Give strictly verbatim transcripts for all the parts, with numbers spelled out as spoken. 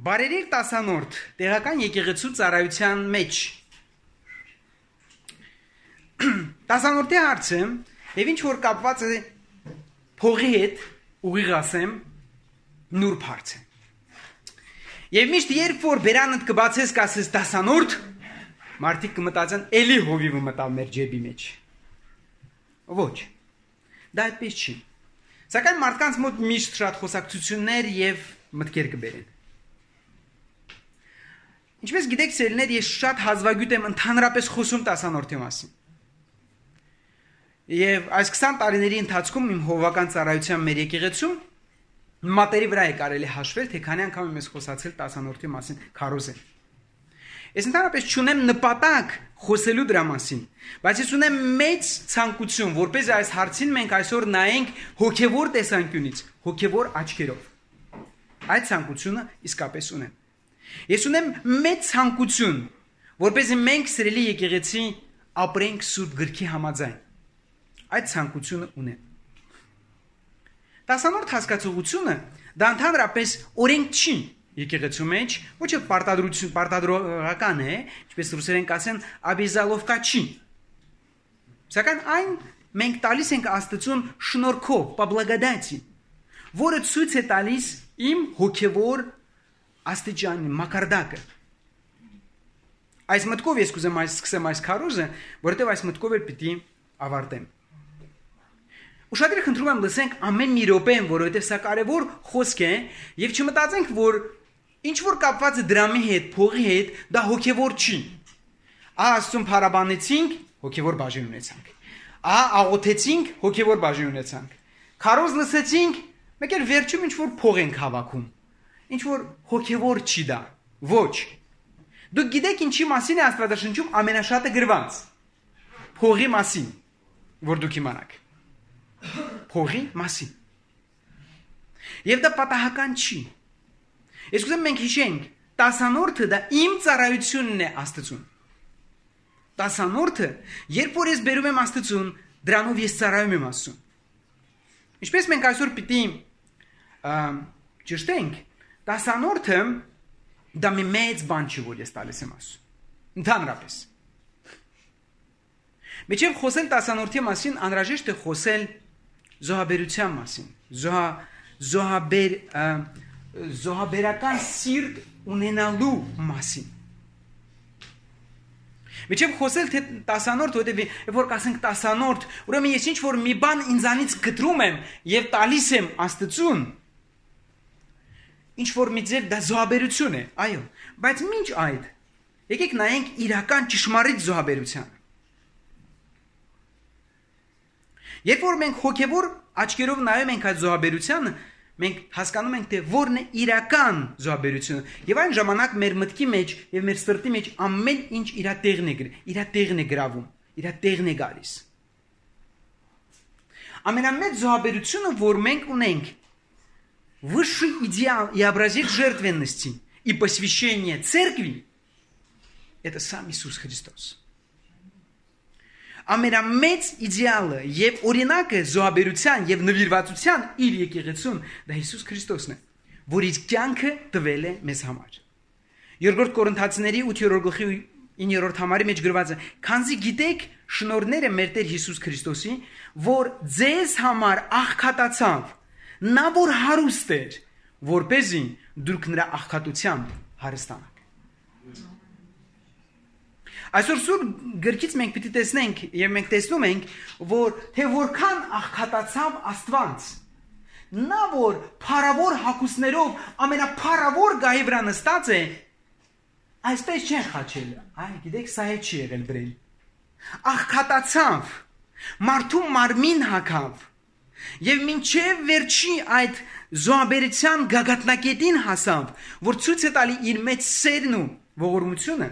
Բարերիր տասանորդ տեղական եկեղեցու ծառայության մեջ տասանորդի հարցը եւ ինչ որ կապված է փողի հետ ուղիղ ասեմ նուրբ հարց է եւ միշտ երբ որ բերանդ կբացես կասես տասանորդ մարդիկ կմտածեն էլի հովիվը մտավ մեր ջեբի մեջ ոչ դա այդպես չի սակայն մարդկանց մոտ միշտ շատ խոսակցություններ եւ մտքեր կբերեն Ինչպես գիտեք, սերներ, ես շատ հազվագյուտ եմ ընդհանրապես խոսում տասանորդի մասին։ Եվ այս քսան տարիների ընթացքում իմ հովվական ծառայության մեր եկեղեցում մատերի վրա է կարելի հաշվել, թե քանի անգամ եմ ես խոսացել տասանորդի մասին քարոզել։ Ես ընդհանրապես չունեմ նպատակ խոսելու դրա մասին, բայց ես ունեմ մեծ ցանկություն, որպեսզի այս հարցին մենք այսօր նայենք հոգևոր տեսանկյունից, հոգևոր աչքերով։ Այդ ցանկությունը իսկապես ունեմ։ Ես ունեմ մեծ ցանկություն, որպեսզի մենք սիրելի եկեղեցի ապրենք Սուրբ գրքի համաձայն։ Այդ ցանկությունը ունեմ։ Տասանորդ հասկացողությունը դա ընդհանրապես օրենք չի եկեղեցու մեջ, ոչ էլ պարտադրություն, պարտադրողական է, ինչպես ռուսերեն կասեն, обязаловка չի։ Սակայն այն մենք տալիս ենք Աստծուն շնորհքով, по благодати, որը ցույց է տալիս իմ հոգևոր աստիճանի մակարդակը այս մտքով ես կուզեմ այս սկսեմ այս քարոզը որովհետև այս մտքով էլ պիտի ավարտեմ ուշադրի խնդրում եմ լսենք ամեն մի րոպեն որովհետև սա կարևոր խոսք է եւ չմտածենք որ ինչ որ կապված է դրամի հետ փողի հետ դա հոգևոր չի ահա աստծուն փարաբանեցինք հոգևոր բաժին ունեցանք ահա աղոթեցինք հոգևոր բաժին ունեցանք քարոզ լսեցինք մեկ էլ վերջում ինչ որ փող ենք հավաքում Ինչ որ հոգևոր չի դա, ոչ։ Դուք գիտեք ինչի մասին է Աստվածաշնչում ամենաշատը գրված։ Փողի մասին, որ դուք իմանաք։ Փողի մասին։ Եվ դա պատահական չի։ Ես կուզեմ մենք հիշենք, տասանորդը դա իմ ծառայությունն է Աստծուն։ Տասանորդը, երբ որ ես բերում եմ Աստծուն, դրանով ես ծառայում եմ Աստծուն։ Ինչպես մենք այսօր պիտի ճշտենք, Տասանորդը դա մի մեծ բան չի, որ ես տալիս եմ ասում։ Ընդհանրապես։ Միջև խոսել տասանորդի մասին անհրաժեշտ է խոսել զոհաբերության մասին։ Զոհա զոհաբեր զոհաբերական սիրտ ունենալու մասին։ Միջև խոսել թե տասանորդ, որտեղ որ կասենք տասանորդ, ուրեմն ես ինչ որ մի բան ինձանից գտրում եմ եւ տալիս եմ Աստծուն Ինչ որ մի ձև դա զոհաբերություն է, այո, բայց ինչ այդ, եկեք նայենք իրական ճշմարիտ զոհաբերությանը։ Երբ որ մենք հոգևոր աչքերով նայում ենք այդ զոհաբերությանը, մենք հասկանում ենք, թե որն է իրական զոհաբերությունը, եւ այն ժամանակ մեր մտքի մեջ եւ մեր սրտի մեջ ամեն ինչ իր տեղն է, իր տեղն է գրավում, իր տեղն է գալիս։ Ամենամեծ զոհաբերությունը, որ մենք ունենք, Высший идеал и образец жертвенности и посвящения церкви – это сам Иисус Христос. Ամենամեծ իդեալը եւ օրինակը զոհաբերության եւ նվիրվածության իր եկեղեցուն դա Հիսուս Քրիստոսն է, որ իր կյանքը տվել է մեզ համար։ Երկրորդ Կորինթացիների ութերորդ գլխի իններորդ համարի մեջ գրված է. «Քանզի գիտեք շնորհները մեր Տեր Հիսուս Քրիստոսի, որ ձեզ համար աղքատացավ, նա որ հարուստ էր, որպեսզի դուք նրա աղքատությամբ հարստանաք»։ Այսօր Սուրբ գրքից մենք պիտի տեսնենք եւ մենք տեսնում ենք, որ թե որքան աղքատացավ Աստված, նա որ փառավոր հագուստներով ամենափառավոր գահի վրա նստած է, այսպես չեն խաչել, այ գիտեք սա է չի եղել դրել։ Աղքատացավ, մարդու մարմին հագավ Եվ մինչև վերջի այդ զոհաբերության գագաթնակետին հասավ, որ ցույց է տալի իր մեծ սերն ու ողորմությունը,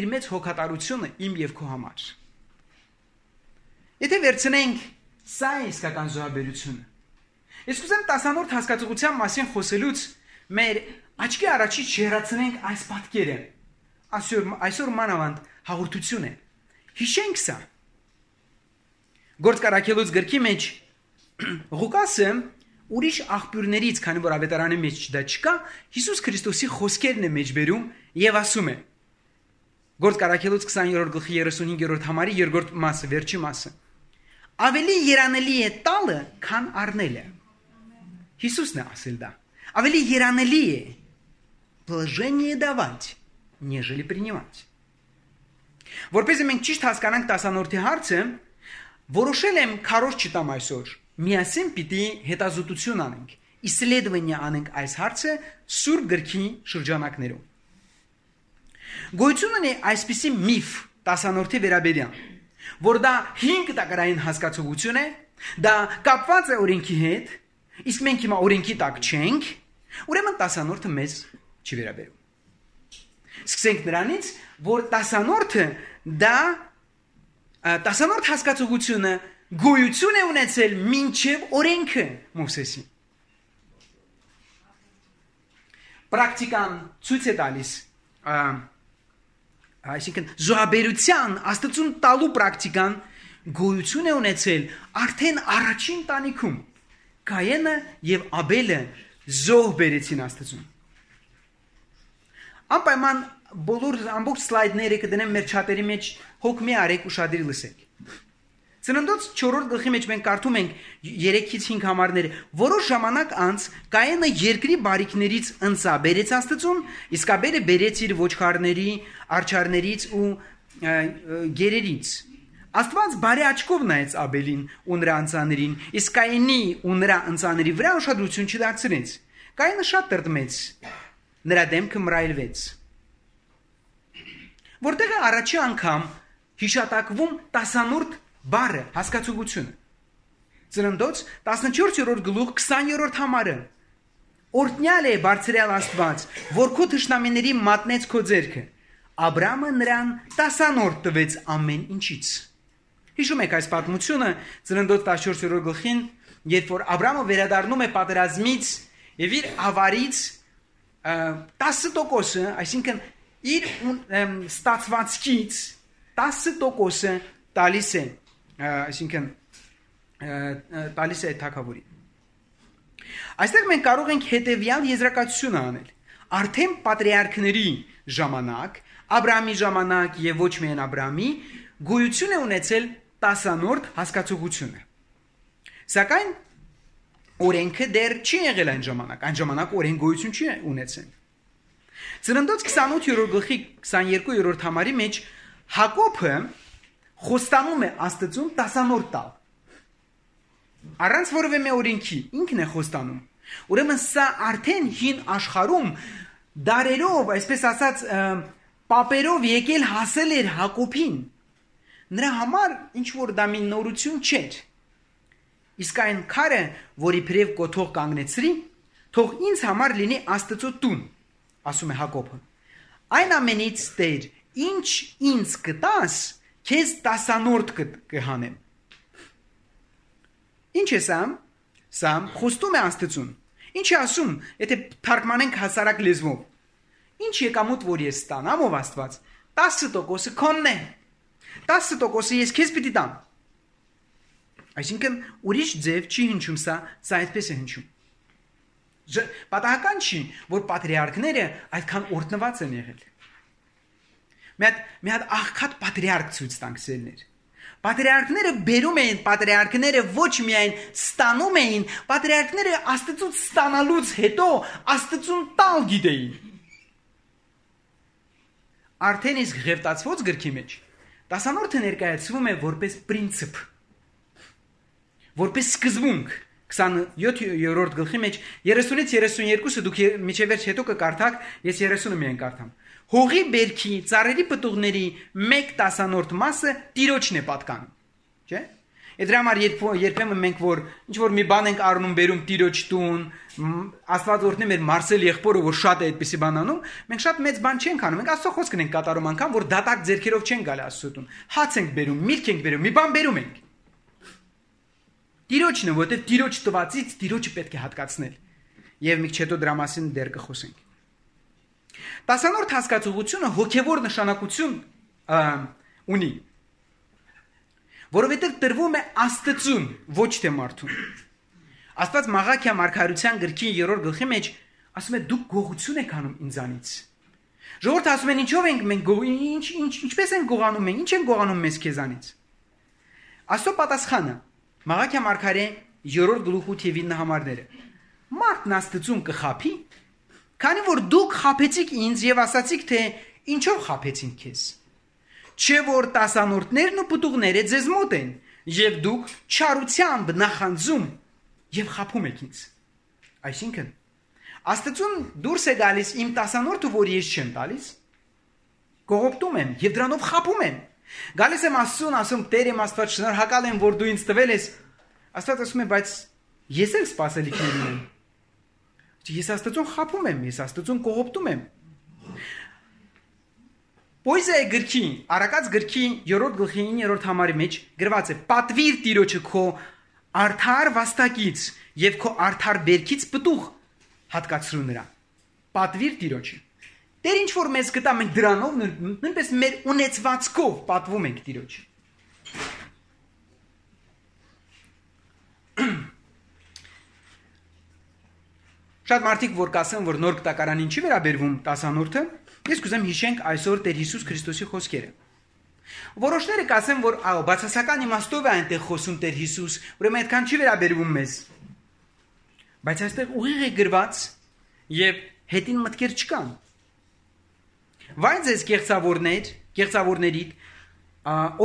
իր մեծ հոգատարությունը իմ եւ քո համար։ Եթե վերցնենք սա է իսկական զոհաբերությունը։ Ես կուզեմ տասանորդ հասկացողության մասին խոսելուց մեր աչքի առաջից չհեռացնենք այս պատկերը։ Այսօր այսօր մանավանդ հաղորդություն է։ Հիշենք սա։ Գործք առաքելուց գրքի մեջ Ղուկասը ուրիշ աղբյուրներից, քանի որ ավետարանի մեջ դա չկա, Հիսուս Քրիստոսի խոսքերն է մեջբերում եւ ասում է. Գործ Կարաքելոց քսաներորդ գլխի երեսունհինգերորդ համարի երկրորդ մասը, վերջի մասը. Ավելի երանելի է տալը, քան առնելը։ Հիսուսն է ասել դա. Ավելի երանելի է положение давать, нежели принимать. Որպես մենք ճիշտ հասկանանք տասանորդի հարցը, որոշել եմ քարոզ չտամ այսօր։ Միասին պիտի հետազոտություն անենք, исследование անենք այս հարցը Սուրբ գրքի շրջանակներում։ Գոյություն ունի այսպիսի միֆ տասանորդի վերաբերյալ, որ դա հինգ տակարային հասկացողություն է, դա կապված է օրենքի հետ, իսկ մենք հիմա օրենքի տակ չենք, ուրեմն տասանորդը մեզ չի վերաբերում։ Սկսենք նրանից, որ տասանորդը դա տասանորդ հասկացողությունը գոյություն է ունեցել մինչև օրենքը Մովսեսի։ Պրակտիկան ցույց է տալիս, այսինքն զոհաբերության աստծուն տալու պրակտիկան գոյություն է ունեցել արդեն առաջին տանիքում։ Կայենը եւ Աբելը զոհ բերեցին աստծուն։ Անպայման բոլոր ամբողջ սլայդները կդնեմ մեր չաթերի մեջ, հոգ մի արեք ուշադրի լսեք։ Ծննդոց չորրորդ գլխի մեջ մենք կարդում ենք երեքից հինգ համարները, որոշ ժամանակ անց Կայենը երկրի բարիքներից ընծա բերեց աստծուն, իսկ Աբելը բերեց իր ոչխարների, արջարներից ու գերերից։ Աստված բարի աչքով նայեց Աբելին ու նրա ընծաներին, իսկ Կայենի ու նրա ընծաների վրա ուշադրություն չդարձրեց։ Կայենը շատ տրտմեց, նրա դեմքը մռայլվեց։ Որտեղ է առաջի անգամ հիշատակվում տասանորդ բառը, հասկացողությունը։ Ծննդոց տասնչորսերորդ գլուխ քսաներորդ համարը։ Օրհնյալ է բարձրյալ Աստված, որ քո թշնամիների մատնեց քո ձեռքը։ Աբրամը նրան տասանորդ տվեց ամեն ինչից։ Հիշում եք այս պատմությունը Ծննդոց տասնչորսերորդ գլխին, երբ որ Աբրամը վերադառնում է պատերազմից եւ իր ավարից տասը տոկոսը, այսինքն իր ստացվածքից տասը տոկոսը տալիս է, այսինքն տալիս է թագավորին։ Այստեղ մենք կարող ենք հետևյալ եզրակացությունը անել։ Արդեն պատրիարքների ժամանակ, Աբրամի ժամանակ եւ ոչ միայն Աբրամի, գոյություն է ունեցել տասանորդ հասկացողությունը։ Սակայն օրենքը դեռ չի եղել այն ժամանակ, այն ժամանակ օրեն գոյություն չի ունեցել։ Ծննդոց քսանութերորդ գլխի քսաներկուերորդ համարի մեջ Հակոբը խոստանում է Աստծուն տասանորդ տալ։ Առանց որևէ մի օրենքի ինքն է խոստանում։ Ուրեմն սա արդեն հին աշխարհում դարերով, այսպես ասած, պապերով եկել հասել էր Հակոբին։ Նրա համար ինչ որ դա մի նորություն չէր։ Իսկ այն քարը, որի բրև կոթող կանգնեցրի, թող ինձ համար լինի Աստծո տուն, ասում է Հակոբը։ Այն ամենից Տեր, ինչ ինձ կտաս, քեզ տասանորդ կհանեմ։ Ինչ է սա? Սա խոստում է Աստծուն։ Ինչ է ասում, եթե թարգմանենք հասարակ լեզվով։ Ինչ եկամուտ որ ես ստանամ ով Աստված, տասը տոկոսը քոնն է։ տասը տոկոսը ես քեզ պիտի տամ։ Այսինքն ուրիշ ձև չի հնչում սա, սա այդպես է հնչում։ Պատահական չի, որ պատրիարքները այդքան օրհնված են եղել։ Մի հատ մի հատ աղքատ պատրիարք ցույց տանք սերներ։ Պատրիարքները բերում էին, պատրիարքները ոչ միայն ստանում էին, պատրիարքները Աստծուց ստանալուց հետո Աստծուն տալ գիտեին։ Արդեն իսկ Ղևտացված գրքի մեջ տասանորդը ներկայացվում է որպես պրինցիպ, որպես սկզբունք։ քսաներորդ գլխի մեջ երեսունից երեսունյոթը դուք միջև վերջ հետո կկարդաք, ես երեսունը միայն կարդամ։ Հողի բերքի, ծառերի պտուղների մեկ տասանորդ մասը Տիրոջն է պատկանում, չէ՞։ Այդ համար երբ երբեմն մենք որ ինչ որ մի բան ենք առնում, բերում Տիրոջ տուն, Աստված օրհնի մեր Մարսել եղբորը, որ շատ է այդպեսի բան անում, մենք շատ մեծ բան չենք անում, մենք Աստծո խոսքն ենք կատարում անգամ, որ դատարկ ձեռքերով չենք գալի Աստծո տուն։ Հաց ենք բերում, միրգ ենք բերում, մի բան բերում ենք։ Տիրոջն է, որտեղ Տիրոջ տվածից Տիրոջը պետք է հատկացնել։ Եվ մի քիչ հետո դրա մասին դեռ կխոսենք։ Տասանորդ հասկացողությունը հոգևոր նշանակություն ունի, որովհետև տրվում է Աստծուն, ոչ թե մարդուն։ Աստված Մաղաքիա մարգարության գրքի երրորդ գլխի մեջ ասում է դուք գողություն եք անում ինձանից։ Ժողովուրդը ասում են ինչով ենք մենք ինչ ինչ ինչպես են գողանում մենք, ինչ են գողանում մեզ քեզանից։ Աստծո պատասխանը Մաղաքիա մարգարե երրորդ գլուխ ութ եւ ինը համարները։ Մարդն Աստծուն կխափի, քանի որ դուք խափեցիք ինձ եւ ասացիք թե ինչով խափեցին քեզ։ Չէ որ տասանորդներն ու պտուղները ձեզ մոտ են եւ դուք չարությամբ նախանձում եւ խափում եք ինձ։ Այսինքն Աստծուն դուրս է գալիս իմ տասանորդը, որ ես չեմ տալիս, կողոպտում եմ եւ դրանով խափում եմ։ Գալիս եմ Աստծուն, ասում Տեր իմ Աստված, շնորհակալ եմ, որ դու ինձ տվել ես։ Աստված ասում է, բայց ես էլ սպասելիքներ ունեմ։ Ես Աստծուն խափում եմ, ես Աստծուն կողոպտում եմ։ Պոեզիայի գրքի, Արաքած գրքի երրորդ գլխի իններորդ համարի մեջ գրված է. «Պատվիր Տիրոջը քո արդար վաստակից եւ քո արդար բերքից պտուղ հատկացրու նրան»։ Պատվիր Տիրոջը։ Տեր ինչ որ մեզ կտա, մենք դրանով նույնպես մեր ունեցվածքով պատվում ենք Տիրոջը։ Շատ մարդիկ որ կասեն, որ նոր կտակարանին չի վերաբերվում տասանորդը, ես կուզեմ հիշենք այսօր Տեր Հիսուս Քրիստոսի խոսքերը։ Որոշները կասեն, որ ահա բացասական իմաստով է այնտեղ խոսում Տեր Հիսուս, ուրեմն այդքան չի վերաբերվում մեզ։ Բայց այստեղ ուղիղ է գրված եւ հետին մտքեր չկան։ Վայ ձեզ կեղծավորներ, կեղծավորներիդ,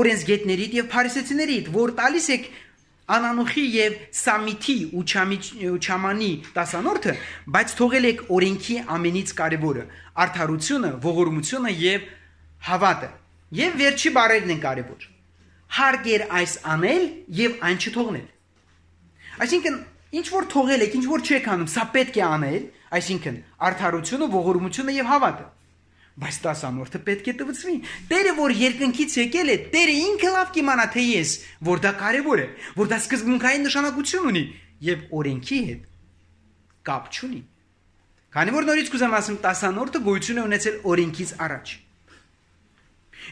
օրենսգետներիդ եւ փարիսեցիներիդ, որ տալիս եք անանուխի եւ սամիթի ու չամանի տասանորդը, բայց թողել եք օրենքի ամենից կարևորը՝ արդարությունը, ողորմությունը եւ հավատը։ Եվ վերջի բառերն են կարևոր։ Հարկ էր այս անել եւ այն չթողնել։ Այսինքն ինչ որ թողել եք, ինչ որ չեք անում, սա պետք է անել, այսինքն արդարությունը, ողորմությունը եւ հավատը։ Բայց տասանորդը պետք է տվցվի։ Տերը որ երկնքից եկել է, Տերը ինքը լավ կիմանա թե ես, որ դա կարևոր է, որ դա սկզբունքային նշանակություն ունի եւ օրենքի հետ կապ չունի։ Քանի որ նորից կուզեմ ասեմ, տասանորդը գոյություն է ունեցել օրենքից առաջ։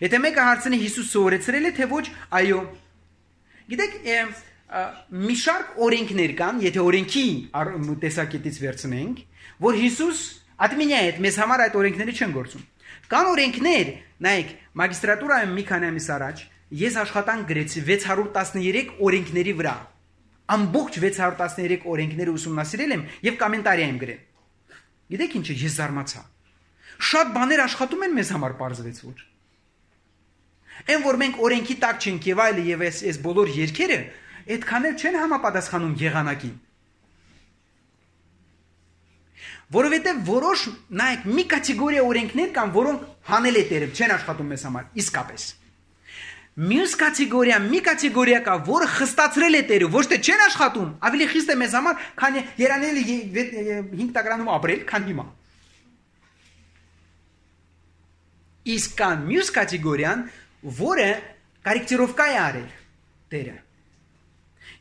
Եթե մեկը հարցնի Հիսուս սովորեցրել է թե ոչ, այո։ Գիտեք, մի շարք օրենքներ կան, եթե օրենքի տեսակետից վերցնենք, որ Հիսուս ադմինյա հետ մեզ համար այդ օրենքները չեն գործում։ Կան օրենքներ, նայեք, մագիստրատուրայում մի քանի ամիս առաջ ես աշխատանք գրեցի վեց հարյուր տասներեք օրենքների վրա։ Ամբողջ վեց հարյուր տասներեք օրենքները ուսումնասիրել եմ եւ կոմենտարի եմ գրել։ Գիտեք ինչ է, ես զարմացա։ Շատ բաներ աշխատում են մեզ համար, պարզվեց որ։ Այն որ մենք օրենքի տակ չենք եւ այլը եւ այս այս բոլոր երկերը այդքան էլ չեն համապատասխանում եղանակին։ Որովհետեւ որոշ, նայեք, մի կատեգորիա օրենքներ կան, որոնք հանել է Տերը, չեն աշխատում մեզ համար, իսկապես։ Մյուս կատեգորիա, մի կատեգորիա կա, որը խստացրել է Տերը, ոչ թե չեն աշխատում, ավելի խիստ է մեզ համար, քան երանել հինգ տակարանում ապրել, քան հիմա։ Իսկ կան մյուս կատեգորիան, որը կորեկտիրովկա է արել Տերը։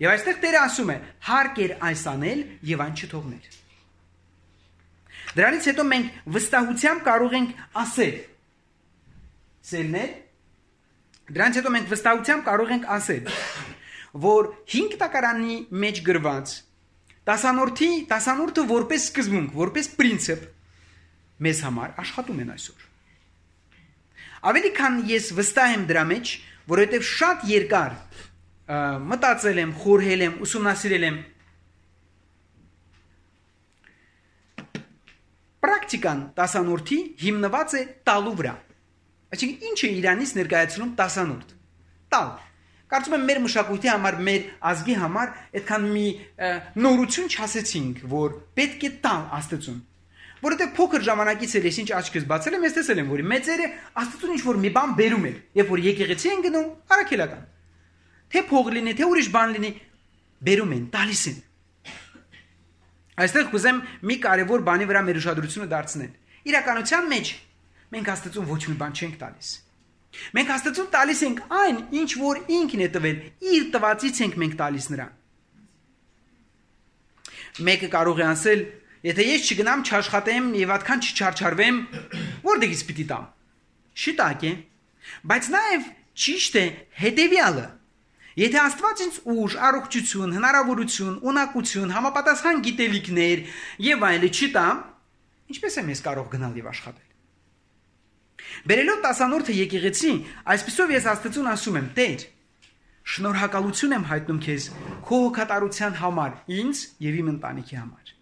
Եվ այստեղ Տերը ասում է. հարկ էր այս անել եւ այն չթողնել։ Դրանից հետո մենք վստահությամբ կարող ենք ասել. Սելներ, դրանից հետո մենք վստահությամբ կարող ենք ասել, որ հինգ տակարանի մեջ գրված տասանորդի, տասանորդը որպես սկզբունք, որպես պրինցիպ մեզ համար աշխատում են այսօր։ Ավելի քան ես վստահ եմ դրա մեջ, որովհետև շատ երկար մտածել եմ, խորհել եմ, ուսումնասիրել եմ։ Պրակտիկան տասանորդի հիմնված է տալու վրա։ Այսինքն ինչ է Իրանից ներկայացնում տասանորդ։ Տալ։ Կարծում եմ մեր մշակույթի համար, մեր ազգի համար այդքան մի նորություն չասեցինք, որ պետք է տալ Աստծուն։ Որովհետև փոքր ժամանակից էլ ես ինչ աչքս բացել եմ, ես տեսել եմ, որ մեծերը Աստծուն ինչ որ մի բան բերում են, երբ որ եկեղեցի են գնում, առաքելական։ Թե փող լինի, թե ուրիշ բան լինի, բերում են, տալիս են։ Այստեղ կուզեմ մի կարևոր բանի վրա մեր ուշադրությունը դարձնել։ Իրականության մեջ մենք Աստծուն ոչ մի բան չենք տալիս։ Մենք Աստծուն տալիս ենք այն, ինչ որ ինքն է տվել, իր տվածից ենք մենք տալիս նրան։ Մեկը կարող է ասել, եթե ես չգնամ, չաշխատեմ եւ այդքան չչարչարվեմ, որտեղից պիտի տամ։ Շիտակ է, բայց նաեւ ճիշտ է հետեւյալը։ Եթե Աստված ինձ ուժ, առողջություն, հնարավորություն, ունակություն, համապատասխան գիտելիքներ եւ այլը չտա, ինչպես եմ ես կարող գնալ եւ աշխատել։ Բերելով տասանորդը եկեղեցի, այսպեսով ես Աստծուն ասում եմ. Տեր, շնորհակալություն եմ հայտնում քեզ քո հոգատարության համար, ինձ եւ իմ ընտանիքի համար։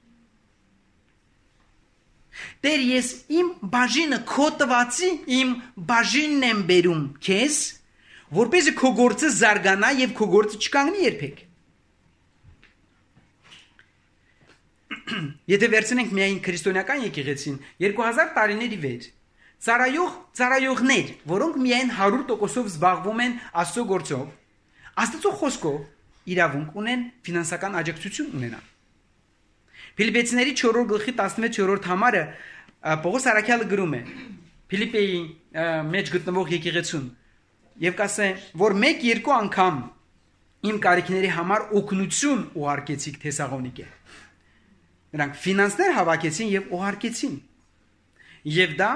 Տեր, ես իմ բաժինը քո տվածի իմ բաժինն եմ բերում քեզ, որպեսզի քո գործը զարգանա եւ քո գործը չկանգնի երբեք։ Եթե վերցնենք միայն քրիստոնեական եկեղեցին, երկու հազար տարիների վեր, ծառայող ծառայողներ, որոնք միայն հարյուր տոկոսով զբաղվում են Աստծո գործով, Աստծո խոսքով իրավունք ունեն ֆինանսական աջակցություն ունենալ։ Ֆիլիպեցիների չորրորդ գլխի տասնվեց համարը Պողոս Արաքյալը գրում է Ֆիլիպեի մեջ գտնվող եկեղեցուն եւ կասե, որ մեկ-երկու անգամ իմ կարիքների համար օգնություն ուղարկեցիք Թեսաղոնիկե։ Նրանք ֆինանսներ հավաքեցին եւ ուղարկեցին։ Եվ դա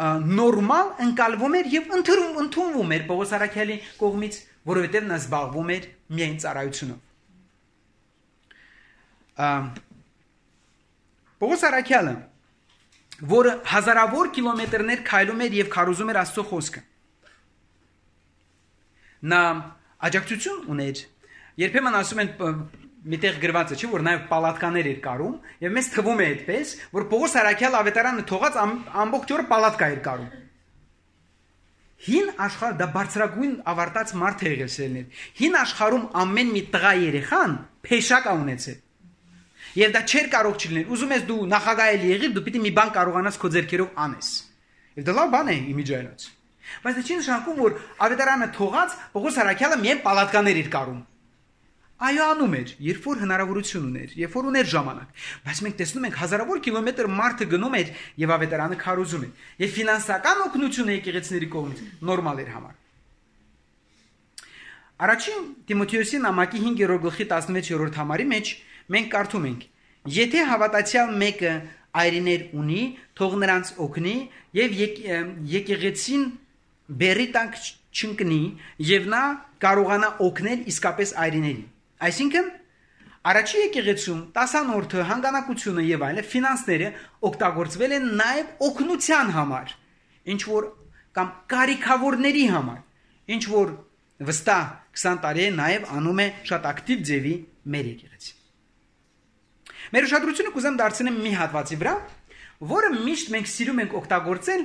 նորմալ ընկալվում էր եւ ընդունվում էր Պողոս Արաքյալի կողմից, որովհետեւ նա զբաղվում էր միայն ծառայությունով։ Պողոս Արաքյալը, որը հազարավոր կիլոմետրներ քայլում էր եւ քարոզում էր Աստծո խոսքը, նա աջակցություն ուներ։ Երբեմն ասում են միտեղ գրված է, չէ՞ որ նաև պալատկաներ էր կարում, եւ մեզ թվում է այդպես, որ Պողոս Արաքյալը ավետարանը թողած ամբողջ օրը պալատկա էր կարում։ Հին աշխարհ դա բարձրագույն ավարտած մարդ է եղել սերներ։ Հին աշխարհում ամեն մի տղա երեխան փեշակ է ունեցել։ Եվ դա չէր կարող չլինել։ Ուզում ես դու նախագահ եղիր, դու պիտի մի բան կարողանաս քո ձեռքերով անես։ Եվ դա լավ բան է իմիջայլոց։ Բայց դա չի նշանակում, որ ավետարանը թողած Պողոս Արաքյալը միայն պալատկաներ էր կարում։ Այո, անում էր, երբ որ հնարավորություն ուներ, երբ որ ուներ ժամանակ։ Բայց մենք տեսնում ենք հազարավոր կիլոմետր մարդը գնում էր եւ ավետարանը քարոզում էր։ Եվ ֆինանսական օգնությունը եկեղեցիների կողմից նորմալ էր համար։ Առաջին Տիմոթեոսի նամակի հինգերորդ գլխի տասնվեց համարի մեջ մենք կարդում ենք. Եթե հավատացյալ մեկը այրիներ ունի, թող նրանց օգնի եւ եկեղեցին բերի տակ չընկնի եւ նա կարողանա օգնել իսկապես այրիներին։ Այսինքն առաջի եկեղեցում տասանորդը, հանգանակությունը եւ այլը ֆինանսները օգտագործվել են նաեւ օգնության համար, ինչ որ կամ կարիքավորների համար, ինչ որ վստահ քսան տարի է նաեւ անում է շատ ակտիվ ձևի մեր եկեղեցին։ Մեր ուշադրությունը կուզեմ դարձնեմ մի հատվածի վրա, որը միշտ մենք սիրում ենք օգտագործել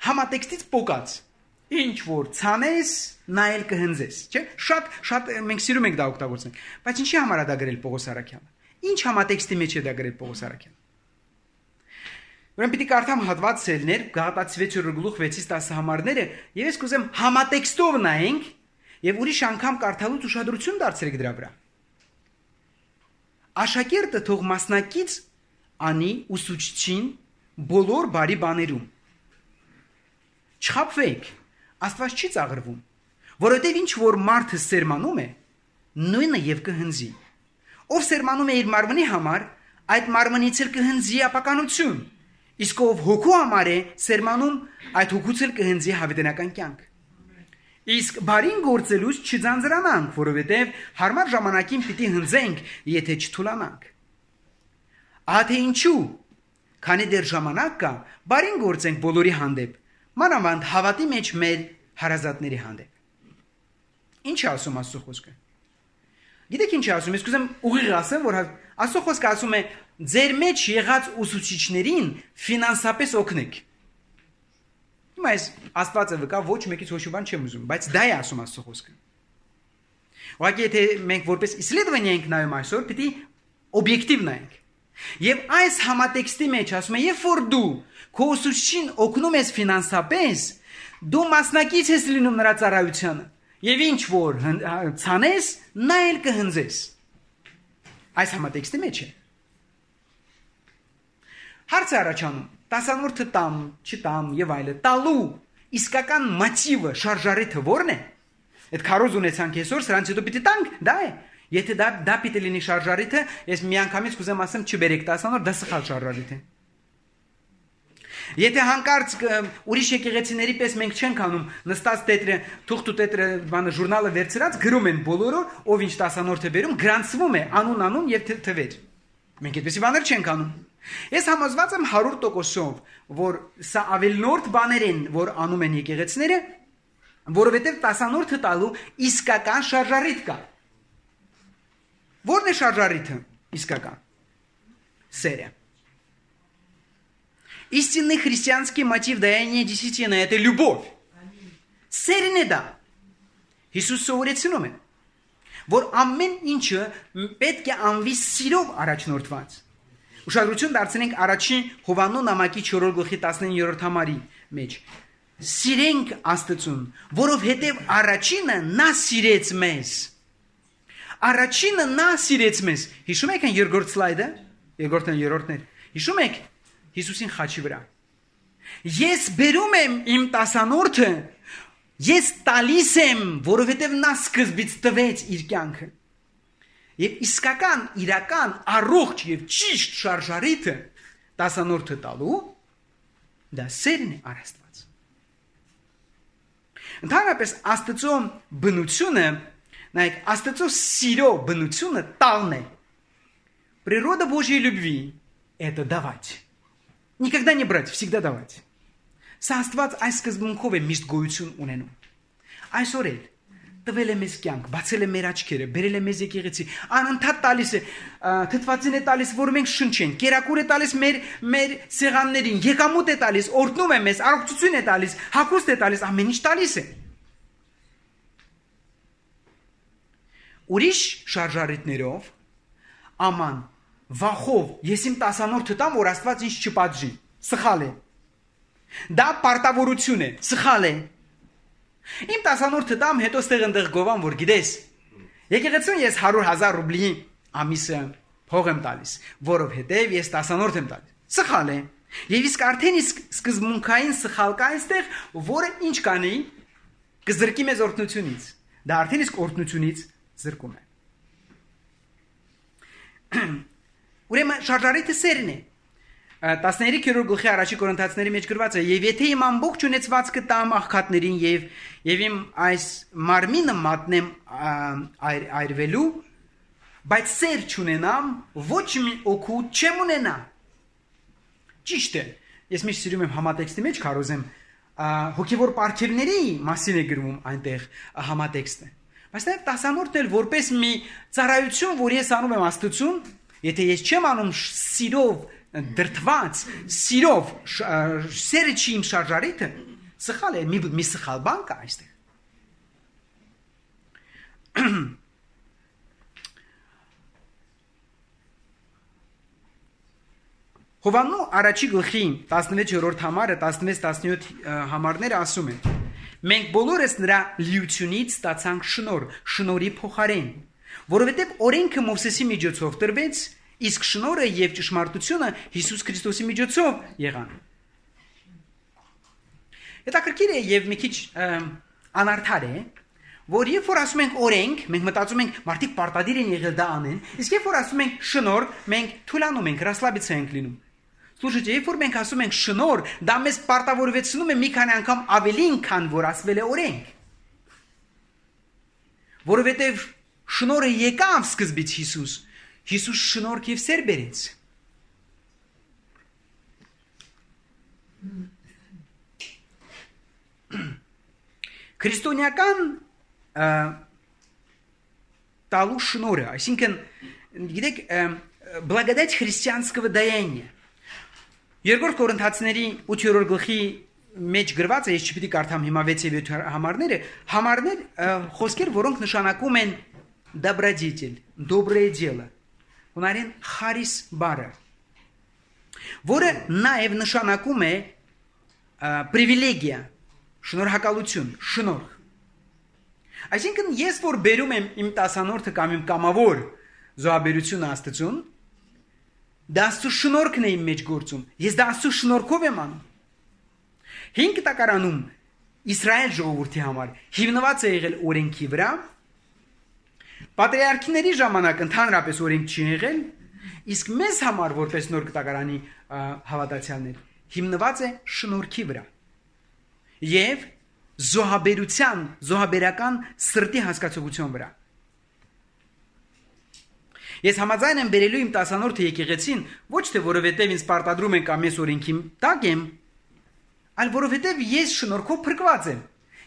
համատեքստից պոկած։ Ինչ որ ցանես, նայել կհնձես, չէ՞։ Շատ շատ մենք սիրում ենք դա օգտագործել։ Բայց ինչի համար է դա գրել Պողոս Արաքյալը։ Ինչ համատեքստի մեջ է դա գրել Պողոս Արաքյալը։ Ուրեմն պիտի կարդամ հատվածներ Գաղատացի վեցերորդ գլուխ վեցից տասը համարները, եւ ես կուզեմ համատեքստով նայենք եւ ուրիշ անգամ կարդալուց ուշադրություն դարձրեք դրա վրա։ Աշակերտը թող մասնակից անի ուսուցչին բոլոր բարի բաներում։ Չխաբվեք, Աստված չի ծաղրվում, որովհետև ինչ որ մարդը սերմանում է, նույնը եւ կհնձի։ Ով սերմանում է իր մարմնի համար, այդ մարմնից էլ կհնձի ապականություն, իսկ ով հոգու համար է սերմանում, այդ հոգուց էլ կհնձի հավիտենական կյանք։ Իսկ բարին գործելուց չձանձրանանք, որովհետև հարմար ժամանակին պիտի հնձենք, եթե չթուլանանք։ Ահա թե ինչու, քանի դեռ ժամանակ կա, բարին գործենք բոլորի հանդեպ, մանավանդ հավատի մեջ մեր հարազատների հանդեպ։ Ինչ է ասում Աստծո խոսքը։ Գիտեք ինչ է ասում, ես կուզեմ ուղիղ ասեմ, որ Աստծո խոսքը ասում է ձեր մեջ եղած ուսուցիչներին ֆինանսապես օգնեք։ Հիմա ես Աստվածը վկա ոչ մեկից ոչ մի բան չեմ ուզում, բայց դա է ասում Աստծո խոսքը։ Ուղղակի եթե մենք որպես իսլեդվանիա ենք նայում այսօր, պիտի օբյեկտիվ նայենք։ Եվ այս համատեքստի մեջ ասում է, երբ որ դու քո ուսուցչին օգնում ես ֆինանսապես, դու մասնակից ես լինում նրա ծառայությանը, եւ ինչ որ ցանես, նա էլ կհնձես։ Այս համատեքստի մեջ է։ Հարց է առաջանում, տասանորդը տամ, չտամ եւ այլը, տալու իսկական մոտիվը, շարժարիթը ո՞րն է։ Այդ քարոզ ունեցանք այսօր, սրանց հետո պիտի տանք, դա է։ Եթե դա դա պիտի լինի շարժարիթը, ես միանգամից կուզեմ ասեմ, չբերեք տասանորդ, դա սխալ շարժարիթ է։ Եթե հանկարծ ուրիշ եկեղեցիների պես մենք չենք անում, նստած տետրը, թուղթ ու տետրը բանը ժուրնալը վերցրած գրում են բոլորը, ով ինչ տասանորդ է վերում, գրանցվում է անուն անուն եւ թվեր։ Մենք այդպեսի բաներ չենք անում։ Ես համոզված եմ հարյուր տոկոսով, որ սա ավելնորդ բաներ են, որ անում են եկեղեցիները, որովհետեւ տասանորդը տալու իսկական շարժարիթ կա։ Որն է շարժարիթը իսկական։ Սերը։ Истинный христианский мотив даяния десятины – это любовь. Սերն է դա։ Հիսուս սովորեցնում է, որ ամեն ինչը պետք է անվի սիրով առաջնորդված։ Ուշադրություն դարձնենք առաջին Հովաննու նամակի չորրորդ գլխի տասնիններորդ համարի մեջ։ Սիրենք Աստծուն, որովհետև առաջինը նա սիրեց մեզ։ Առաջինը նա սիրեց մեզ։ Հիշում եք այն երկրորդ սլայդը, երկրորդն երրորդներ։ Հիշում եք Հիսուսին խաչի վրա։ Ես բերում եմ իմ տասանորդը, ես տալիս եմ, որովհետև նա սկզբից տվեց իր կյանքը։ Եվ իսկական, իրական, առողջ եւ ճիշտ շարժարիթը տասանորդը տալու դա սերն է առ Աստված։ Ընդհանրապես Աստծո բնությունը, նայեք, Աստծո սիրո բնությունը տալն է։ Природа Божьей любви – это давать. Никогда не брать, всегда давать. Սա Աստված այս սկզբունքով է միշտ գոյություն ունենում։ Այսօր էլ տվել է մեզ կյանք, բացել է մեր աչքերը, բերել է մեզ եկեղեցի, անընդհատ տալիս է, թթվածին է տալիս, որ մենք շնչենք, կերակուր է տալիս մեր մեր սեղաններին, եկամուտ է տալիս, օրհնում է մեզ, առողջություն է տալիս, հագուստ է տալիս, ամեն ինչ տալիս է։ Ուրիշ շարժարիթներով, աման, վախով, ես իմ տասանորդը տամ, որ Աստված ինձ չպատժի, սխալ է։ Դա պարտավորություն է, սխալ է։ Իմ տասանորդը տամ, հետո ստեղ ընդեղ գովամ, որ գիտես, եկեղեցուն ես հարյուր հազար ռուբլի ամիսը փող եմ տալիս, որովհետև ես տասանորդ եմ տալիս։ Սխալ է։ Եվ իսկ արդեն իսկ սկզբունքային սխալ կա այստեղ, որը ինչ կանի, կզրկի մեզ օրհնությունից։ Դա արդեն իսկ օրհնությունից զրկում է։ Ուրեմն շարժարիթը սերն է։ տասներորդ գլխի առաջի Կորինթացիների մեջ գրված է. «Եվ եթե իմ ամբողջ ունեցվածքը տամ աղքատներին եւ եւ իմ այս մարմինը մատնեմ այրվելու, բայց սեր չունենամ, ոչ մի օգուտ չեմ ունենա»։ Ճիշտ է։ Ես միշտ սիրում եմ համատեքստի մեջ քարոզեմ, հոգևոր պարգևների մասին է գրվում այնտեղ համատեքստը։ Բայց նաեւ տասանորդն էլ որպես մի ծառայություն, որ ես անում եմ Աստծուն, եթե ես չեմ անում սիրով դրթված, սիրով սերը չի իմ շարժարիթը, սխալ է, մի, մի սխալ բան կա այստեղ։ Հովաննու առաջի գլխի տասնվեցերորդ համարը, տասնվեց տասնյոթ համարները ասում են. մենք բոլորս նրա լիությունից ստացանք շնոր, շնորի փոխարեն, որովհետև օրենքը Մովսեսի միջոցով տրվեց, իսկ շնորհը եւ ճշմարտությունը Հիսուս Քրիստոսի միջոցով եղան։ Հետաքրքիր է եւ մի քիչ անարդար է, որ երբ որ ասում ենք օրենք, մենք մտածում ենք մարդիկ պարտադիր են եղել դա անեն, իսկ երբ որ ասում ենք շնորհ, մենք թուլանում ենք, ռասլաբիցա ենք լինում։ Слушайте, երբ որ մենք ասում ենք շնորհ, դա մեզ պարտավորեցնում է մի քանի անգամ ավելին, քան որ ասվել է օրենք։ Որովհետեւ շնորհը եկավ սկզբից Հիսուս, Հիսուս շնորհք եւ սեր բերեց։ Քրիստոնեական տալու շնորհը, այսինքն, գիտեք, благодать христианского даяния։ Երկրորդ Կորինթացիների ութերորդ գլխի մեջ գրված է, ես չպիտի կարդամ հիմա վեց եւ յոթ համարները, համարներ խոսքեր, որոնք նշանակում են добродетель, доброе дело։ Հունարեն խարիս բառը, որը նաև նշանակում է պրիվիլեգիա, շնորհակալություն, շնորհ։ Այսինքն ես որ բերում եմ իմ տասանորդը կամ իմ կամավոր զոհաբերությունը Աստծուն, դա Աստծո շնորհքն է իմ մեջ գործում։ Ես դա Աստծո շնորհքով եմ անում։ Հինգ տակարանում Իսրայել ժողովրդի համար հիմնված է եղել օրենքի վրա։ Պատրիարքների ժամանակ ընդհանրապես օրենք չի եղել, իսկ մեզ համար որպես նոր կտակարանի հավատացյալներ հիմնված է շնորհքի վրա եւ զոհաբերության, զոհաբերական սրտի հասկացողության վրա։ Ես համաձայն եմ բերելու իմ տասանորդը եկեղեցին ոչ թե որովհետև ինձ պարտադրում են կամ ես օրենքի տակ եմ, այլ որովհետև ես շնորհքով փրկված եմ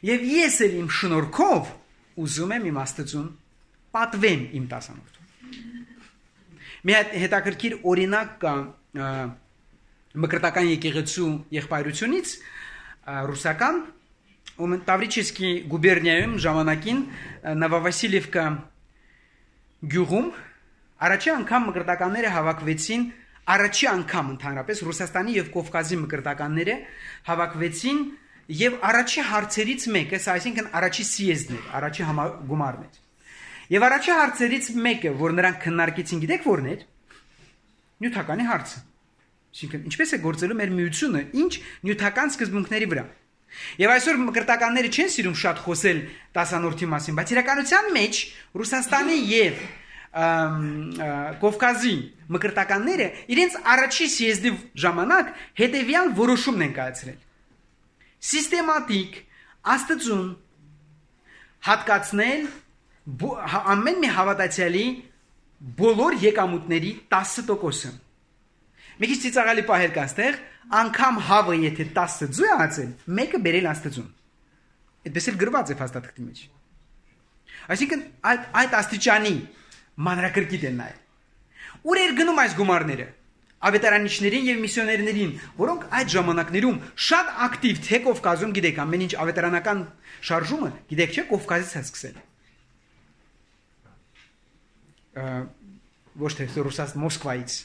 եւ ես էլ իմ շնորհքով ուզում եմ իմ Աստծուն պատվեմ իմ տասանորդուն։ Մի հետաքրքիր օրինակ կա մկրտական եկեղեցու եղբայրությունից ռուսական ու Տավրիչեսկի գուբերնիայում ժամանակին Նովովասիլիևկա գյուղում առաջի անգամ մկրտականները հավաքվեցին, առաջի անգամ ընդհանրապես Ռուսաստանի եւ Կովկասի մկրտականները հավաքվեցին եւ առաջի հարցերից մեկը, այսինքն առաջի սիեզդն էր, առաջի համագումարն էր։ Եվ առաջի հարցերից մեկը, որ նրանք քննարկեցին, գիտեք որն էր? Նյութականի հարցը։ Այսինքն ինչպես է գործելու մեր միությունը, ինչ նյութական սկզբունքների վրա։ Եվ այսօր մկրտականները չեն սիրում շատ խոսել տասանորդի մասին, բայց իրականության մեջ Ռուսաստանի եւ Կովկասի մկրտականները իրենց առաջի սիեզդի ժամանակ հետևյալ որոշումն են կայացրել. Սիստեմատիկ Աստծուն հատկացնել ամեն մի հավատացյալի բոլոր եկամուտների տասը տոկոսը։ Մի քիչ ծիծաղալի պահեր կա այստեղ, անգամ հավը եթե տասը ձու է ածել, մեկը բերել Աստծուն։ Այդպես էլ գրված է փաստաթղթի մեջ։ Այսինքն այդ այդ աստիճանի մանրակրկիտ են նայել։ Ուր էր գնում այս գումարները։ Ավետարանիչներին եւ միսիոներներին, որոնք այդ ժամանակներում շատ ակտիվ թե Կովկասում, գիտեք, ամեն ինչ ավետարանական շարժումը, գիտեք չէ, Կովկասից է սկսել։ Ոչ թե Ռուսաստան Մոսկվայից։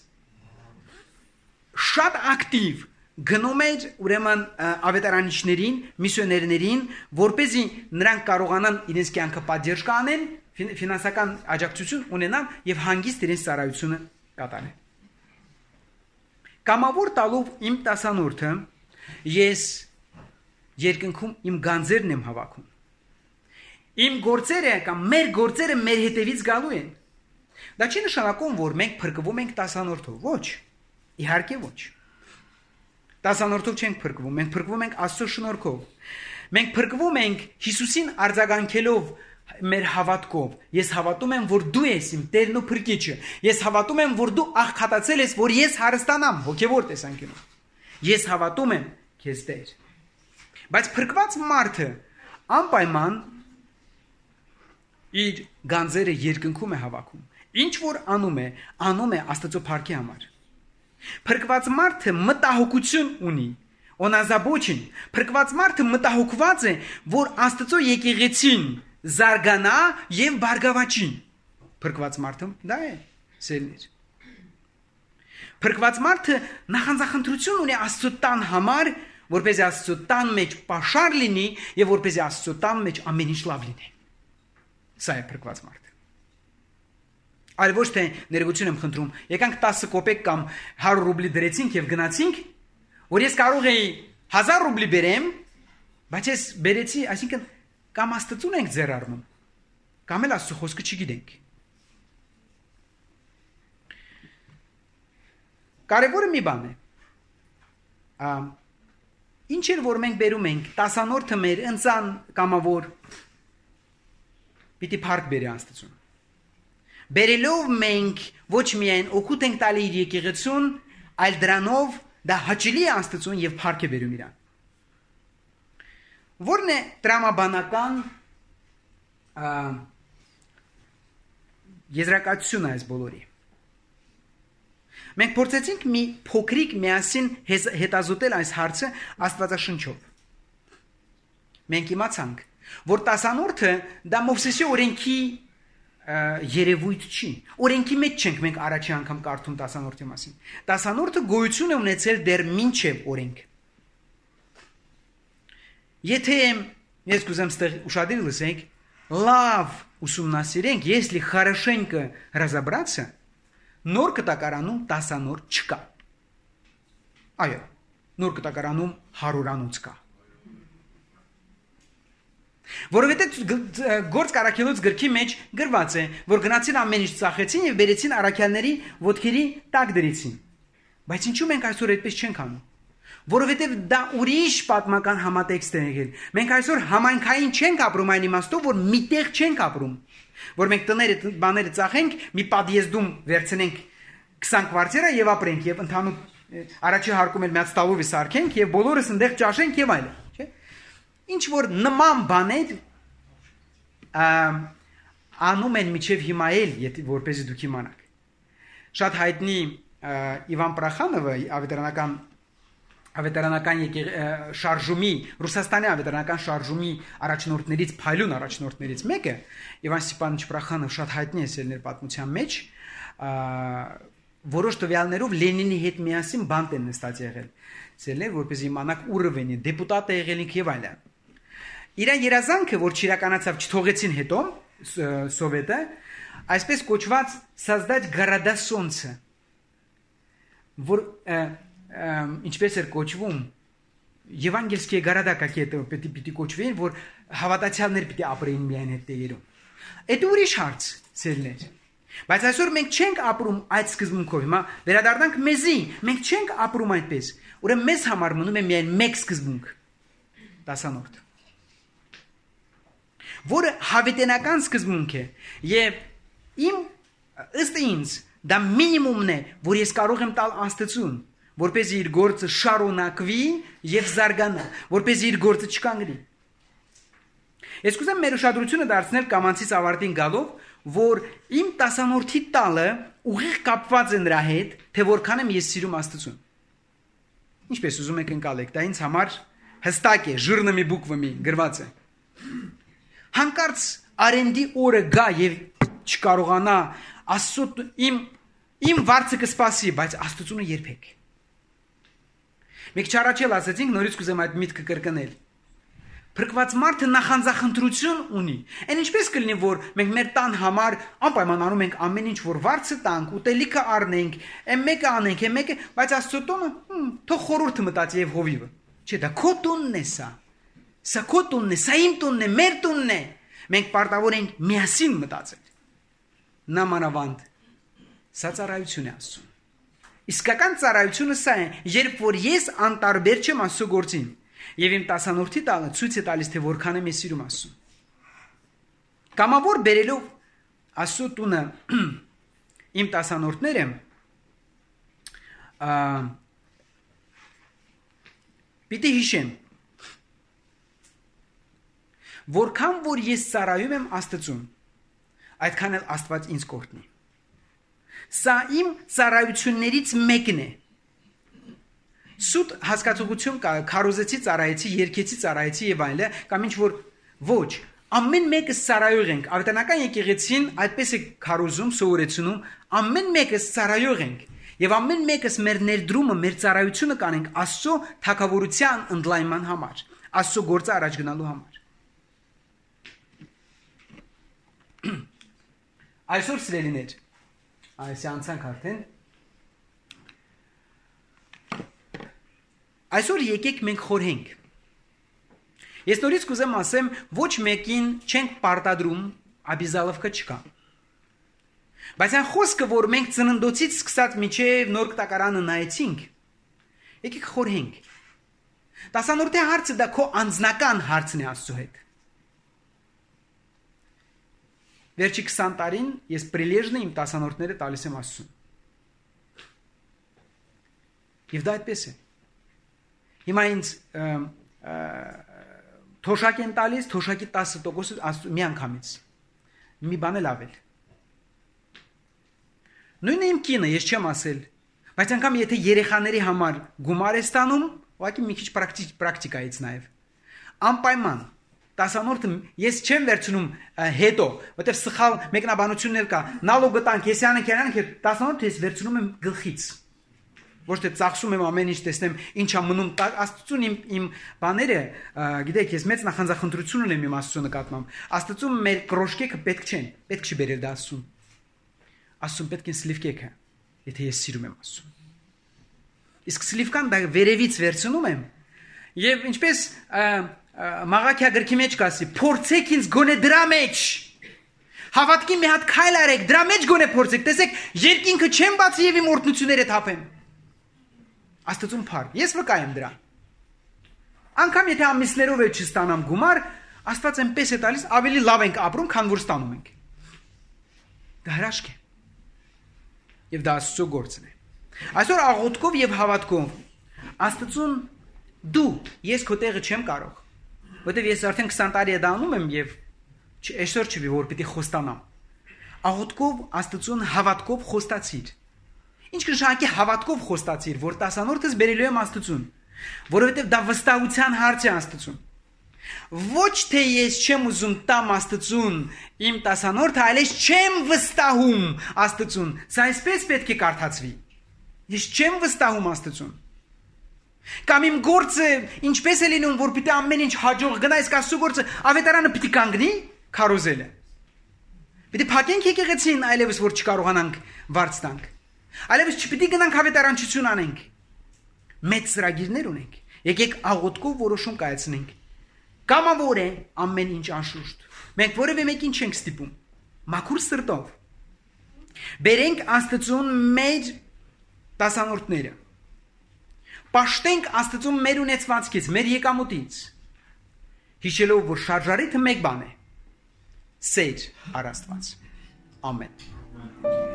Շատ ակտիվ գնում էր ուրեմն ավետարանիչներին, միսիոներներին, որպեսզի նրանք կարողանան իրենց կյանքը պատժ կանեն, ֆինանսական աջակցություն ունենան եւ հանգիստ իրենց ծառայությունը կատարեն։ Կամավոր տալով իմ տասանորդը ես երկնքում իմ գանձերն եմ հավաքում։ Իմ գործերը կամ մեր գործերը մեր հետևից գալու են։ Դա չի նշանակում, որ մենք փրկվում ենք տասանորդով, ոչ։ Իհարկե ոչ։ Տասանորդով չենք փրկվում, մենք փրկվում ենք Աստծո շնորհքով։ Մենք փրկվում ենք Հիսուսին արձագանքելով մեր հավատքով։ Ես հավատում եմ, որ դու ես իմ Տերն ու Փրկիչը։ Ես հավատում եմ, որ դու աղքատացել ես, որ ես հարստանամ հոգևոր տեսանկյունով։ Ես հավատում եմ քեզ Տեր։ Բայց փրկված մարդը անպայման իր գանձերը երկնքում է հավաքում։ Ինչ որ անում է, անում է Աստծո փառքի համար։ Փրկված մարդը մտահոգություն ունի, օնազաբոչին։ Փրկված մարդը մտահոգված է, որ Աստծո եկեղեցին զարգանա եւ բարգավաճի։ Փրկված մարդը դա է, սերներ։ Փրկված մարդը նախանձախնդրություն ունի Աստծո տան համար, որպեսզի Աստծո տան մեջ պաշար լինի եւ որպեսզի Աստծո տան մեջ ամեն ինչ լավ լինի։ Սա է փրկված մարդը։ Այլ ոչ թե ներողություն եմ խնդրում, եկանք տասը կոպեկ կամ հարյուր ռուբլի դրեցինք եւ գնացինք, որ ես կարող էի հազար ռուբլի բերեմ, բայց ես բերեցի, այսինքն կամ Աստծուն ենք ձեռ առնում, կամ էլ Աստծո խոսքը չգիտենք։ Կարևորը մի բան է։ Ինչ էլ որ մենք բերում ենք, տասանորդը մեր ընծան կամավոր պիտի փառք բերի Աստծուն։ Բերելով մենք ոչ միայն օգուտ ենք տալի իր եկեղեցուն, այլ դրանով դա հաճելի է Աստծուն եւ փառք է բերում իրան։ Որն է տրամաբանական եզրակացությունը այս բոլորի։ Մենք փորձեցինք մի փոքրիկ միասին հետազոտել այս հարցը Աստվածաշնչով։ Մենք իմացանք, որ տասանորդը դա Մովսեսի օրենքի երևույթ չի։ Օրենքի մեջ չենք մենք առաջի անգամ կարդում տասանորդի մասին։ Տասանորդը գոյություն է ունեցել դեռ մինչև օրենք։ Եթե ես կուզեմ ստեղ ուշադիր լսենք, լավ ուսումնասիրենք, если хорошенько разобраться, նոր կտակարանում տասանորդ չկա։ Այո, նոր կտակարանում հարյուրանոց կա։ Որովհետև գործ կարաքելոց գրքի մեջ գրված է, որ գնացին ամեն ինչ ծախեցին եւ բերեցին առաքյալների ոտքերի տակ դրեցին։ Բայց ինչու մենք այսօր այդպես չենք անում։ որովհետև դա ուրիշ պատմական համատեքստ է եղել։ Մենք այսօր համայնքային չենք ապրում այն իմաստով, որ միտեղ չենք ապրում, որ մենք տները բաները ծախենք, մի պատիեզդում վերցնենք քսան կվարտիրա եւ ապրենք եւ ընդհանուր առաջի հարկում էլ միած տալովի սարքենք եւ բոլորս այնտեղ ճաշենք եւ այլն, չէ՞։ Ինչ որ նման բաներ անում են միջև հիմա էլ, եթե որպեսզի դուք իմանաք։ Շատ հայտնի Իվան Պրախանովը ավետարանական ավետարանական շարժումի Ռուսաստանի ավետարանական շարժումի առաջնորդներից փայլուն առաջնորդներից մեկը Իվան Ստեփանովիչ Պրախանով շատ հայտնի է ելներ պատմության մեջ, որոշ տվյալներով Լենինի հետ միասին բանտ են նստած եղել, ելներ որպեսզի իմանաք ուռվենի դեպուտատ է եղել եւ այլն։ Իր երազանքը, որ չիրականացավ, չթողեցին հետո սովետը, այսպես կոչված создать города солнца, որ ինչպես էր կոչվում Եվանգելские города какие-то պիտի պիտի կոչվեն, որ հավատացյալներ պիտի ապրեին միայն այդ տեղերում։ Այդ ուրիշ հարց ցելներ։ Բայց այսօր մենք չենք ապրում այդ սկզբունքով։ Հիմա վերադառնանք մեզի, մենք չենք ապրում այդպես։ Ուրեմն մեզ համար մնում է միայն մեկ սկզբունք՝ տասանորդ, որը հավիտենական սկզբունք է, եւ իմ ըստ ինձ դա մինիմումն է, որ ես կարող եմ տալ Աստծուն, որպեսզի իր գործը շարունակվի եւ զարգանա, որպեսզի իր գործը չկանգնի։ Ես կուզեմ մեր ուշադրությունը դարձնել կամանցից ավարտին գալով, որ իմ տասանորդի տալը ուղիղ կապված է նրա հետ, թե որքան եմ ես սիրում Աստծուն։ Ինչպես ուզում եք ընկալեք, դա ինձ համար հստակ է, ժիրնամի բուկվամի գրված է։ Հանկարծ արենդի օրը գա եւ չկարողանա Աստծո իմ իմ վարձը կսպասի, բայց Աստծունը երբեք։ Մենք չառաջել ասացինք, նորից կուզեմ այդ միտքը կրկնել։ Փրկված մարդը նախանձախնդրություն ունի։ Այն ինչպես կլինի, որ մենք մեր տան համար անպայման անում ենք ամեն ինչ, որ վարձը տանք, ուտելիքը առնենք, այն մեկը անենք, այն մեկը, բայց Աստծո տոնը, թող խորհուրդը մտածի եւ հովիվը։ Չէ, դա քո տունն է սա։ Սա քո տունն է, սա իմ տունն է, մեր տունն է։ Մենք պարտավոր ենք միասին մտածել։ Նամանավանդ սա ծառայություն է Աստծո։ Իսկական ծառայությունը սա է, երբ որ ես անտարբեր չեմ Աստծո գործին, եւ իմ տասանորդի տալը ցույց է տալիս, թե որքան եմ ես սիրում Աստծուն։ Կամավոր բերելով Աստծո տունը իմ տասանորդները պիտի հիշեմ, որքան որ ես ծառայում եմ Աստծուն, այդքան էլ Աստված ինձ կօրհնի։ Սա իմ ծառայություններից մեկն է։ Սուտ հասկացողություն կա, քարոզեցի ծառայեցի, երկեցի ծառայեցի եւ այլն, կամ ինչ որ ոչ, ամեն մեկը ծառայող ենք։ Ավետարանական եկեղեցին այդպես է քարոզում, սովորեցնում, ամեն մեկը ծառայող ենք։ Եվ ամեն մեկս մեր ներդրումը, մեր ծառայությունը կանենք Աստծո թագավորության ընդլայնման համար, Աստծո գործը առաջ գնալու համար։ Այսօր սիրելիներ, այս անցանք արդեն։ Այսօր եկեք մենք խորհենք։ Ես նորից կուզեմ ասեմ, ոչ մեկին չենք պարտադրում, աբիզալովկա չկա։ Բայց այն խոսքը, որ մենք ծննդոցից սկսած մինչև նոր կտակարանը նայեցինք, եկեք խորհենք։ Տասանորդի հարցը դա քո անձնական հարցն է Աստծո հետ։ Վերջի քսան տարին ես պրիլեժն իմ տասանորդները տալիս եմ Աստծուն։ Եվ դա այդպես է։ Հիմա ինձ թոշակ են տալիս, թոշակի տասը տոկոսը մի անգամից։ Մի բան էլ ավել։ Նույնը իմ կինը, ես չեմ ասել, բայց անգամ եթե երեխաների համար գումար է ստանում, ուղղակի մի քիչ պրակտիկայից նաև։ Անպայման տասանորդը ես չեմ վերցնում հետո, որտեղ սխալ մեկնաբանություններ կա։ Նալոգը տանք, ես անենք, անենք, տասանորդը ես վերցնում եմ գլխից։ Ոչ թե ծախսում եմ ամեն ինչ տեսնեմ, ինչա մնում Աստծուն իմ իմ բաները, գիտեք, ես մեծ նախանձախնդրություն ունեմ իմ Աստծո նկատմամբ։ Աստծուն մեր կրոշկեքը պետք չեն, պետք չի բերել դա Աստծուն։ Աստծուն պետք է սլիվկեքը, եթե ես սիրում եմ Աստծուն։ Իսկ սլիվկան դա վերևից վերցնում եմ, եւ ինչպես Մաղաքիա գրքի մեջ կասի, փորձեք ինձ գոնե դրա մեջ։ Հավատքի մի հատ քայլ արեք, դրա մեջ գոնե փորձեք, տեսեք, երկինքը չեմ բացի եւ իմ օրհնությունները թափեմ։ Աստծուն փառք։ Ես վկայեմ դրա։ Անկամ եթե ամիսներով էլ չստանամ գումար, Աստված այնպես է տալիս, ավելի լավ ենք ապրում, քան որ ստանում ենք։ Դա հրաշք է։ Եվ դա Աստծո գործն է։ Այսօր աղոթքով եւ հավատքով Աստծուն դու, ես քո տեղը չեմ կարող, որտեվ ես արդեն քսան տարի է դա անում եմ եւ այսօր չի որ պիտի խոստանամ։ Աղոթքով Աստծուն հավատքով խոստացիր։ Ինչ կնշանակի հավատքով խոստացիր, որ տասանորդս բերելու եմ Աստծուն, որովհետև դա վստահության հարց է Աստծուն։ Ոչ թե ես չեմ ուզում տամ Աստծուն իմ տասանորդը, այլ ես չեմ վստահում Աստծուն։ Սա այսպես պետք է կարդացվի։ Ես չեմ վստահում Աստծուն։ Կամ իմ գործը ինչպես է լինում, որ պիտի ամեն ինչ հաջող գնա, իսկ Աստծո գործը ավետարանը պիտի կանգնի քարոզելը։ Պիտի փակենք եկեղեցին, այլևս որ չկարողանանք վարձ տանք։ Այլևս չպիտի գնանք հավետարանչություն անենք։ Մեծ ծրագիրներ ունենք։ Եկեք աղոթքով որոշում կայացնենք։ Կամավոր է ամեն ինչ անշուշտ։ Մենք որևէ մեկին չենք ստիպում։ Մաքուր սրտով բերենք Աստծուն մեր տասանորդները։ Պաշտենք Աստծուն մեր ունեցվածքից, մեր եկամուտից։ Հիշելով, որ շարժարիթը մեկ բան է։ Սեր առ Աստված։ Ամեն։